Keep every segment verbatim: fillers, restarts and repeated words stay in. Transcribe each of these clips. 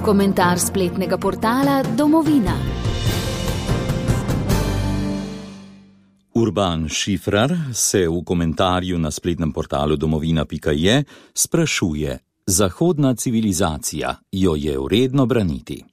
Komentar spletnega portala Domovina. Urban Šifrar se v komentarju na spletnem portalu domovina pika je sprašuje: zahodna civilizacija, jo je vredno braniti?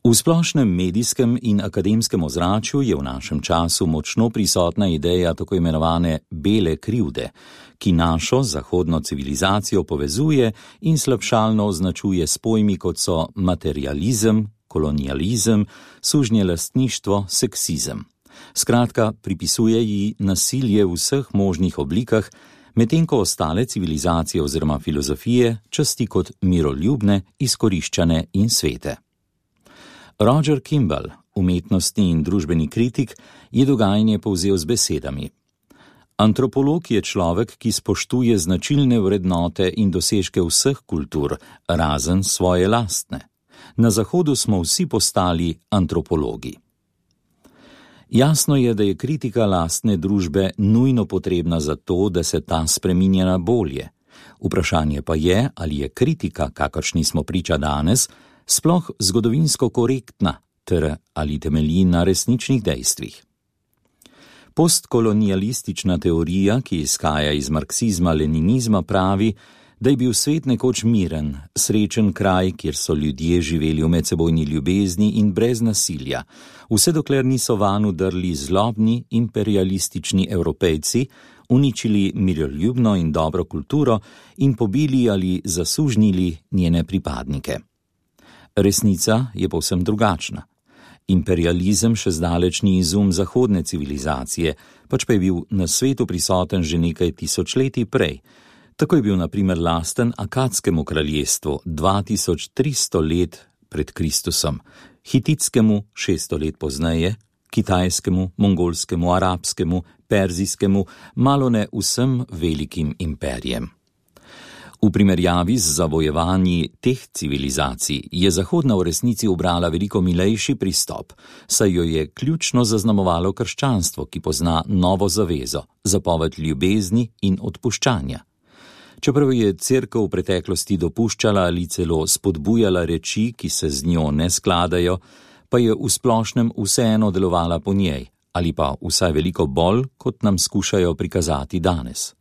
V splošnem medijskem in akademskem ozračju je v našem času močno prisotna ideja tako imenovane bele krivde, ki našo zahodno civilizacijo povezuje in slabšalno označuje s pojmi, kot so materializem, kolonializem, sužnjelastništvo, seksizem. Skratka, pripisuje ji nasilje v vseh možnih oblikah, medtem ko ostale civilizacije oziroma filozofije časti kot miroljubne, izkoriščane in svete. Roger Kimball, umetnostni in družbeni kritik, je dogajanje povzel z besedami: antropolog je človek, ki spoštuje značilne vrednote in dosežke vseh kultur, razen svoje lastne. Na Zahodu smo vsi postali antropologi. Jasno je, da je kritika lastne družbe nujno potrebna za to, da se ta spreminja na bolje. Vprašanje pa je, ali je kritika, kakršni smo priča danes, sploh zgodovinsko korektna, ter ali temelji na resničnih dejstvih. Postkolonialistična teorija, ki izhaja iz marksizma-leninizma, pravi, da je bil svet nekoč miren, srečen kraj, kjer so ljudje živeli v medsebojni ljubezni in brez nasilja, vse dokler niso vanj vdrli zlobni imperialistični Evropejci, uničili miroljubno in dobro kulturo in pobili ali zasužnili njene pripadnike. Resnica je povsem drugačna. Imperializem še zdaleč ni izum zahodne civilizacije, pač pa je bil na svetu prisoten že nekaj tisočletij prej. Tako je bil na primer lasten Akadskemu kraljestvu dva tisoč tristo let pred Kristusom, Hititskemu šeststo let pozneje, Kitajskemu, Mongolskemu, Arabskemu, Perzijskemu, malone vsem velikim imperijem. V primerjavi z zavojevanji teh civilizacij je Zahodna v resnici ubrala veliko milejši pristop, saj jo je ključno zaznamovalo krščanstvo, ki pozna novo zavezo, zapoved ljubezni in odpuščanja. Čeprav je cerkev v preteklosti dopuščala ali celo spodbujala reči, ki se z njo ne skladajo, pa je v splošnem vseeno delovala po njej, ali pa vsaj veliko bolj, kot nam skušajo prikazati danes.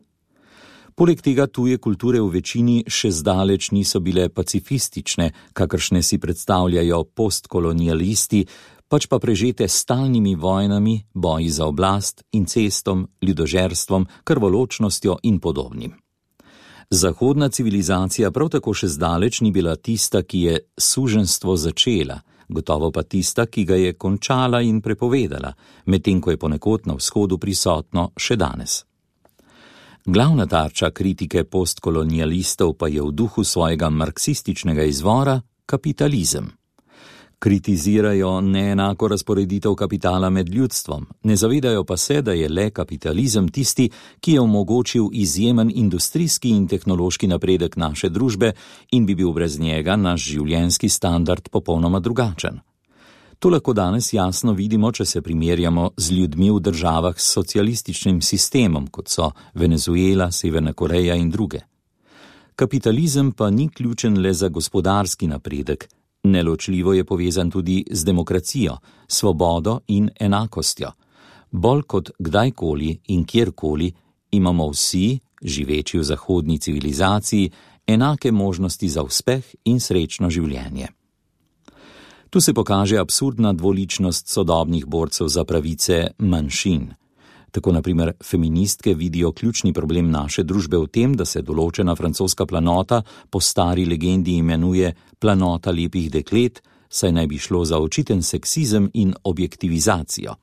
Poleg tega tuje kulture v večini še zdaleč niso bile pacifistične, kakršne si predstavljajo postkolonialisti, pač pa prežete stalnimi vojnami, boji za oblast, incestom, ljudožerstvom, krvoločnostjo in podobnim. Zahodna civilizacija prav tako še zdaleč ni bila tista, ki je suženjstvo začela, gotovo pa tista, ki ga je končala in prepovedala, medtem ko je ponekod na vzhodu prisotno še danes. Glavna tarča kritike postkolonialistov pa je v duhu svojega marksističnega izvora kapitalizem. Kritizirajo neenako razporeditev kapitala med ljudstvom, ne zavedajo pa se, da je le kapitalizem tisti, ki je omogočil izjemen industrijski in tehnološki napredek naše družbe in bi bil brez njega naš življenjski standard popolnoma drugačen. To lahko danes jasno vidimo, če se primerjamo z ljudmi v državah s socialističnim sistemom, kot so Venezuela, Severna Koreja in druge. Kapitalizem pa ni ključen le za gospodarski napredek, neločljivo je povezan tudi z demokracijo, svobodo in enakostjo. Bolj kot kdajkoli in kjerkoli imamo vsi, živeči v zahodni civilizaciji, enake možnosti za uspeh in srečno življenje. Tu se pokaže absurdna dvoličnost sodobnih borcev za pravice manjšin. Tako na primer feministke vidijo ključni problem naše družbe v tem, da se določena francoska planota po stari legendi imenuje planota lepih deklet, saj naj bi šlo za očiten seksizem in objektivizacijo.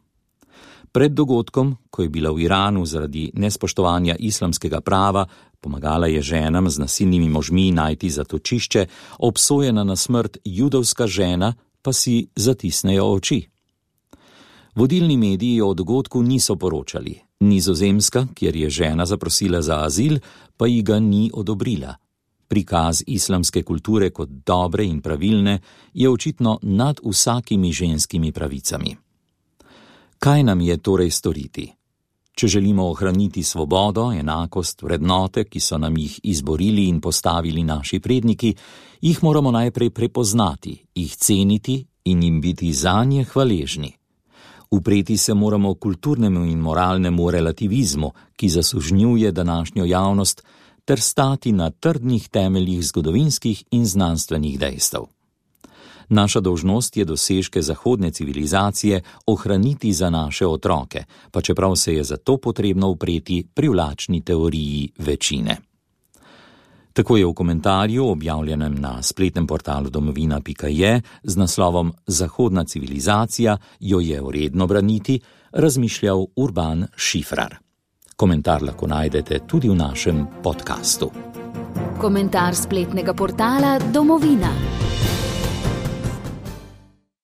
Pred dogodkom, ko je bila v Iranu zaradi nespoštovanja islamskega prava, pomagala je ženam z nasilnimi možmi najti zatočišče, obsojena na smrt judovska žena, pa si zatisnejo oči. Vodilni mediji o dogodku niso poročali. Nizozemska, kjer je žena zaprosila za azil, pa ji ga ni odobrila. Prikaz islamske kulture kot dobre in pravilne je očitno nad vsakimi ženskimi pravicami. Kaj nam je torej storiti? Če želimo ohraniti svobodo, enakost, vrednote, ki so nam jih izborili in postavili naši predniki, jih moramo najprej prepoznati, jih ceniti in jim biti zanje hvaležni. Upreti se moramo kulturnemu in moralnemu relativizmu, ki zasužnjuje današnjo javnost, ter stati na trdnih temeljih zgodovinskih in znanstvenih dejstev. Naša dolžnost je dosežke zahodne civilizacije ohraniti za naše otroke, pa čeprav se je za to potrebno upreti privlačni teoriji večine. Tako je v komentarju, objavljenem na spletnem portalu domovina pika je, z naslovom Zahodna civilizacija, jo je vredno braniti, razmišljal Urban Šifrar. Komentar lahko najdete tudi v našem podkastu. Komentar spletnega portala Domovina.